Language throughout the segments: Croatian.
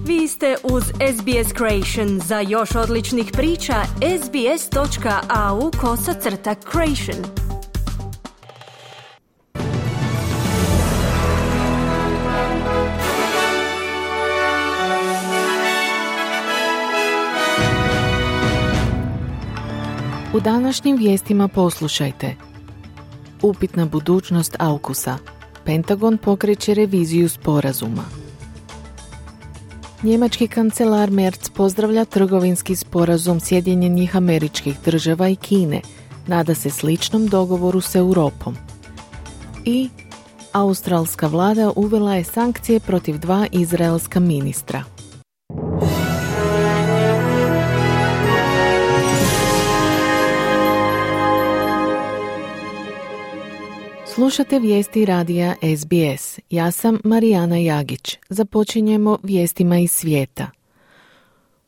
Vi ste uz SBS Creation. Za još odličnih priča, sbs.au/creation. U današnjim vijestima poslušajte. Upitna budućnost AUKUS-a. Pentagon pokreće reviziju sporazuma. Njemački kancelar Merz pozdravlja trgovinski sporazum Sjedinjenih Američkih Država i Kine. Nada se sličnom dogovoru s Europom. I australska vlada uvela je sankcije protiv 2 izraelska ministra. Slušate vijesti radija SBS. Ja sam Marijana Jagić. Započinjemo vijestima iz svijeta.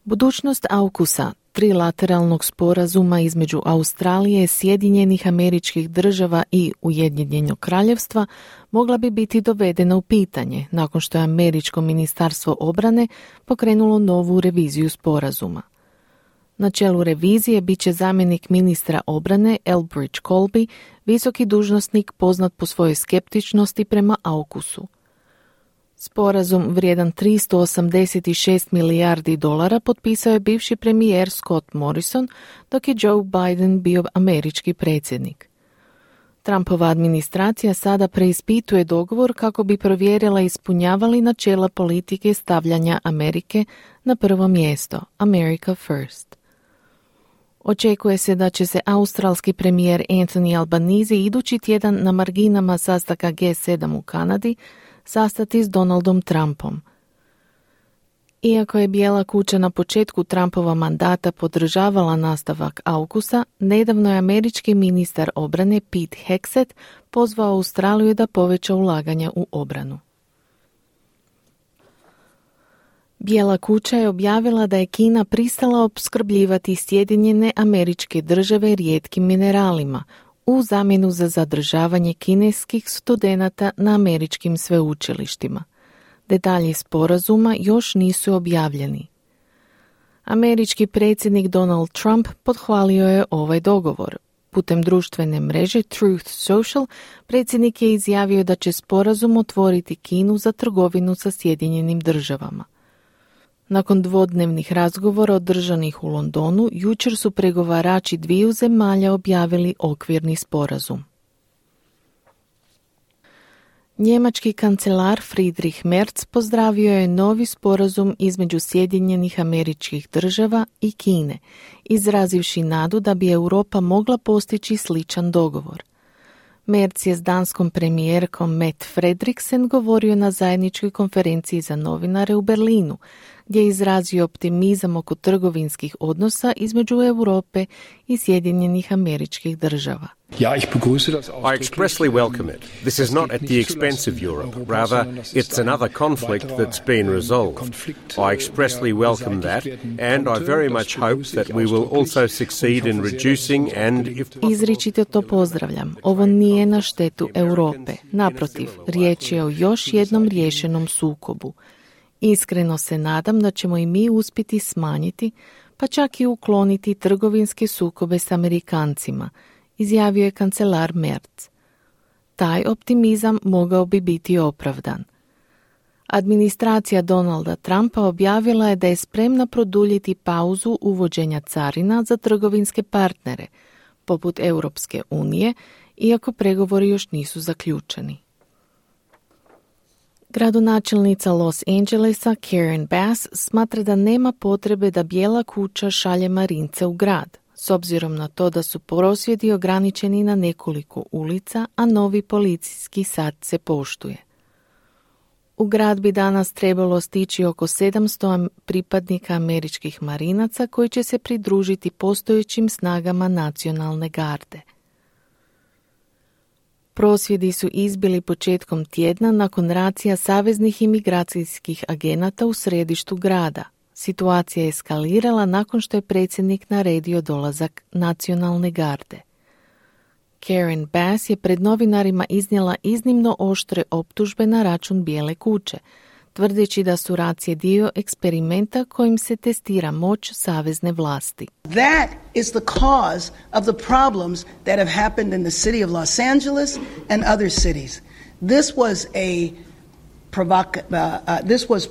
Budućnost AUKUS-a, trilateralnog sporazuma između Australije, Sjedinjenih Američkih Država i Ujedinjenog Kraljevstva, mogla bi biti dovedena u pitanje nakon što je Američko ministarstvo obrane pokrenulo novu reviziju sporazuma. Na čelu revizije bit će zamjenik ministra obrane Elbridge Colby, visoki dužnosnik poznat po svojoj skeptičnosti prema AUKUS-u. Sporazum vrijedan $386 milijardi potpisao je bivši premijer Scott Morrison, dok je Joe Biden bio američki predsjednik. Trumpova administracija sada preispituje dogovor kako bi provjerila ispunjavali načela politike stavljanja Amerike na prvo mjesto, America First. Očekuje se da će se australski premijer Anthony Albanese idući tjedan na marginama sastanka G7 u Kanadi sastati s Donaldom Trumpom. Iako je Bijela kuća na početku Trumpova mandata podržavala nastavak AUKUS-a, nedavno je američki ministar obrane Pete Hegseth pozvao Australiju da poveća ulaganja u obranu. Bijela kuća je objavila da je Kina pristala opskrbljivati Sjedinjene Američke Države rijetkim mineralima u zamjenu za zadržavanje kineskih studenata na američkim sveučilištima. Detalji sporazuma još nisu objavljeni. Američki predsjednik Donald Trump pohvalio je ovaj dogovor. Putem društvene mreže Truth Social predsjednik je izjavio da će sporazum otvoriti Kinu za trgovinu sa Sjedinjenim Državama. Nakon dvodnevnih razgovora održanih u Londonu, jučer su pregovarači dviju zemalja objavili okvirni sporazum. Njemački kancelar Friedrich Merz pozdravio je novi sporazum između Sjedinjenih Američkih Država i Kine, izrazivši nadu da bi Europa mogla postići sličan dogovor. Merz je s danskom premijerkom Mette Frederiksen govorio na zajedničkoj konferenciji za novinare u Berlinu, gdje je izrazio optimizam oko trgovinskih odnosa između Europe i Sjedinjenih Američkih Država. I expressly welcome it. This is not at the expense of Europe. Rather, it's another conflict that's been resolved. I expressly welcome that, and I very much hope that we will also succeed in reducing and, if possible... Izričito to pozdravljam. Ovo nije na štetu Europe. Naprotiv, riječ je o još jednom riješenom sukobu. Iskreno se nadam da ćemo i mi uspjeti smanjiti, pa čak i ukloniti trgovinske sukobe s Amerikancima, izjavio je kancelar Merz. Taj optimizam mogao bi biti opravdan. Administracija Donalda Trumpa objavila je da je spremna produljiti pauzu uvođenja carina za trgovinske partnere, poput Europske unije, iako pregovori još nisu zaključeni. Gradonačelnica Los Angelesa Karen Bass smatra da nema potrebe da Bijela kuća šalje marince u grad, s obzirom na to da su prosvjedi ograničeni na nekoliko ulica, a novi policijski sat se poštuje. U grad bi danas trebalo stići oko 700 pripadnika američkih marinaca koji će se pridružiti postojećim snagama nacionalne garde. Prosvjedi su izbili početkom tjedna nakon racija saveznih imigracijskih agenata u središtu grada. Situacija je eskalirala nakon što je predsjednik naredio dolazak nacionalne garde. Karen Bass je pred novinarima iznijela iznimno oštre optužbe na račun Bijele kuće, tvrdeći da su racije dio eksperimenta kojim se testira moć savezne vlasti. That is the cause of the problems that have happened in the city of Los Angeles and other cities. This was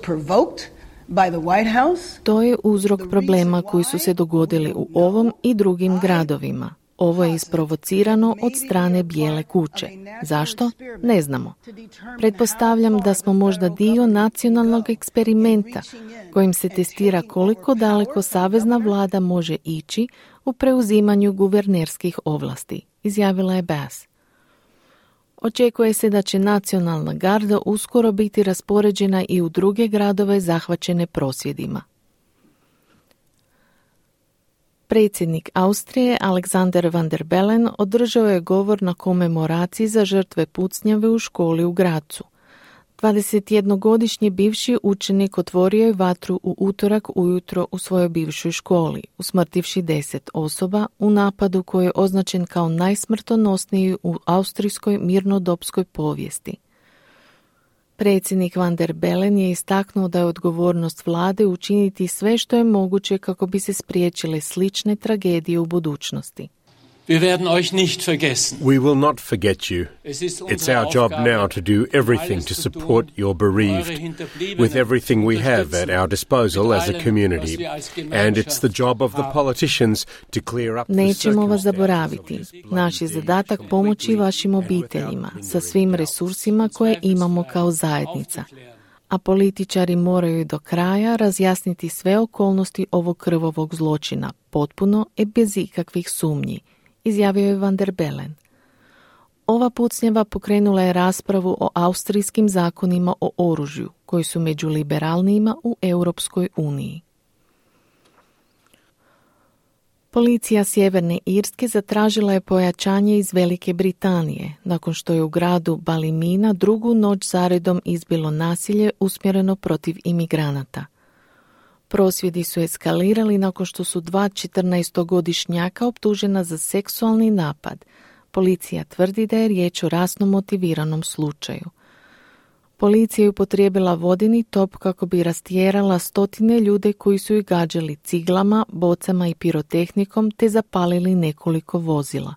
provoked by the White House. To je uzrok problema koji su se dogodili u ovom i drugim gradovima. Ovo je isprovocirano od strane Bijele kuće. Zašto? Ne znamo. Pretpostavljam da smo možda dio nacionalnog eksperimenta kojim se testira koliko daleko savezna vlada može ići u preuzimanju guvernerskih ovlasti, izjavila je Bass. Očekuje se da će nacionalna garda uskoro biti raspoređena i u druge gradove zahvaćene prosvjedima. Predsjednik Austrije Alexander Van der Bellen održao je govor na komemoraciji za žrtve pucnjave u školi u Grazu. 21-godišnji bivši učenik otvorio je vatru u utorak ujutro u svojoj bivšoj školi, usmrtivši 10 osoba u napadu koji je označen kao najsmrtonosniji u austrijskoj mirnodopskoj povijesti. Predsjednik Van der Bellen je istaknuo da je odgovornost vlade učiniti sve što je moguće kako bi se spriječile slične tragedije u budućnosti. Wir werden euch nicht vergessen. We will not forget you. It's our job now to do everything to support your bereaved with everything we have at our disposal as a community. And it's the job of the politicians to clear up the circumstances. Nećemo vas zaboraviti. Naš je zadatak pomoći vašim obiteljima sa svim resursima koje imamo kao zajednica. A političari moraju do kraja razjasniti sve okolnosti ovog krvavog zločina, potpuno i bez ikakvih sumnji, izjavio je Van der Bellen. Ova pucnjava pokrenula je raspravu o austrijskim zakonima o oružju, koji su među liberalnijima u Europskoj uniji. Policija Sjeverne Irske zatražila je pojačanje iz Velike Britanije, nakon što je u gradu Ballymena drugu noć zaredom izbilo nasilje usmjereno protiv imigranata. Prosvjedi su eskalirali nakon što su 2 14-godišnjaka optužena za seksualni napad. Policija tvrdi da je riječ o rasno motiviranom slučaju. Policija je upotrijebila vodeni top kako bi rastjerala stotine ljude koji su ih gađali ciglama, bocama i pirotehnikom te zapalili nekoliko vozila.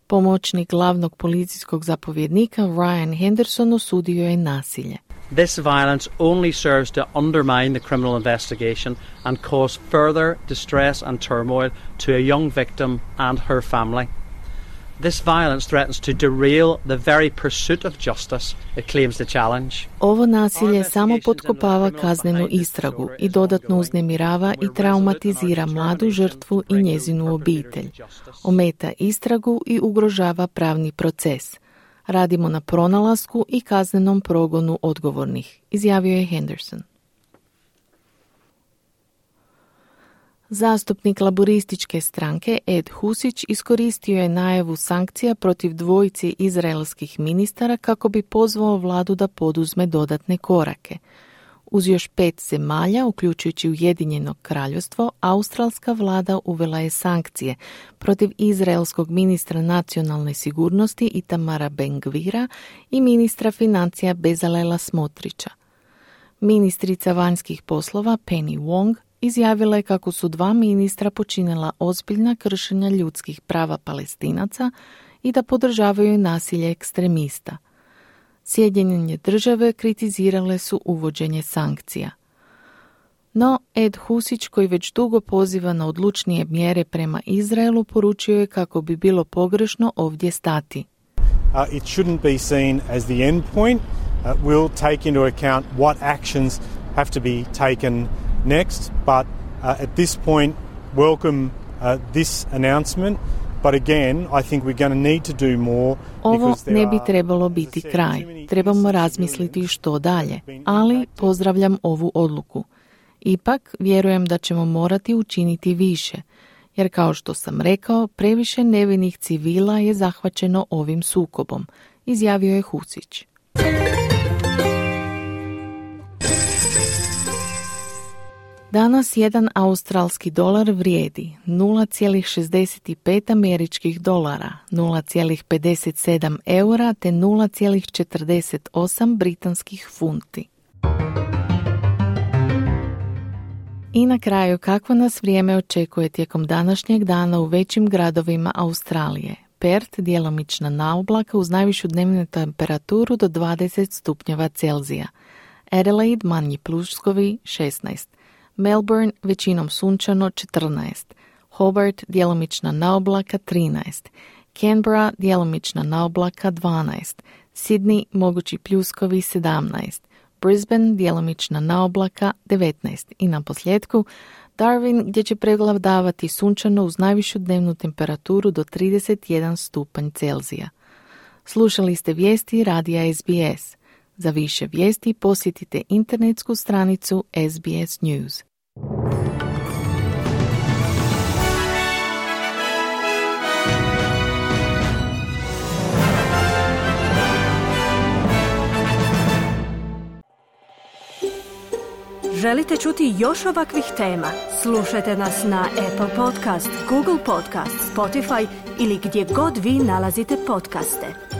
Pomoćnik glavnog policijskog zapovjednika Ryan Henderson osudio je nasilje. This violence only serves to undermine the criminal investigation and cause further distress and turmoil to a young victim and her family. This violence threatens to derail the very pursuit of justice it claims to challenge. Ovo nasilje samo potkopava kaznenu istragu i dodatno uznemirava i traumatizira mladu žrtvu i njezinu obitelj. Ometa istragu i ugrožava pravni proces. Radimo na pronalasku i kaznenom progonu odgovornih, izjavio je Henderson. Zastupnik laborističke stranke Ed Husić iskoristio je najavu sankcija protiv dvojice izraelskih ministara kako bi pozvao vladu da poduzme dodatne korake. Uz još 5 zemalja, uključujući Ujedinjeno kraljevstvo, australska vlada uvela je sankcije protiv izraelskog ministra nacionalne sigurnosti Itamara Ben-Gvira i ministra financija Bezalela Smotrića. Ministrica vanjskih poslova Penny Wong izjavila je kako su 2 ministra počinila ozbiljna kršenja ljudskih prava Palestinaca i da podržavaju nasilje ekstremista. Sjedinjene države kritizirale su uvođenje sankcija. No, Ed Husić, koji već dugo poziva na odlučnije mjere prema Izraelu, poručio je kako bi bilo pogrešno ovdje stati. It shouldn't be seen as the end point. We'll take into account what actions have to be taken next, but at this point welcome this announcement. But again, I think we're going to need to do more. Ovo ne bi trebalo biti kraj. Trebamo razmisliti što dalje, ali pozdravljam ovu odluku. Ipak, vjerujem da ćemo morati učiniti više, jer kao što sam rekao, previše nevinih civila je zahvaćeno ovim sukobom, izjavio je Husić. Danas jedan australski dolar vrijedi 0,65 američkih dolara, 0,57 eura te 0,48 britanskih funti. I na kraju, kako nas vrijeme očekuje tijekom današnjeg dana u većim gradovima Australije. Perth djelomična naoblaka uz najvišu dnevnu temperaturu do 20 stupnjeva Celzija. Adelaide manji pljuskovi 16. Melbourne većinom sunčano 14. Hobart djelomična naoblaka 13. Canberra djelomična naoblaka 12. Sydney mogući pljuskovi 17. Brisbane djelomična naoblaka 19. I na posljedku Darwin gdje će prevladavati sunčano uz najvišu dnevnu temperaturu do 31 stupanj Celzija. Slušali ste vijesti radija SBS. Za više vijesti posjetite internetsku stranicu SBS News. Želite čuti još ovakvih tema? Slušajte nas na Apple Podcast, Google Podcast, Spotify ili gdje god vi nalazite podcaste.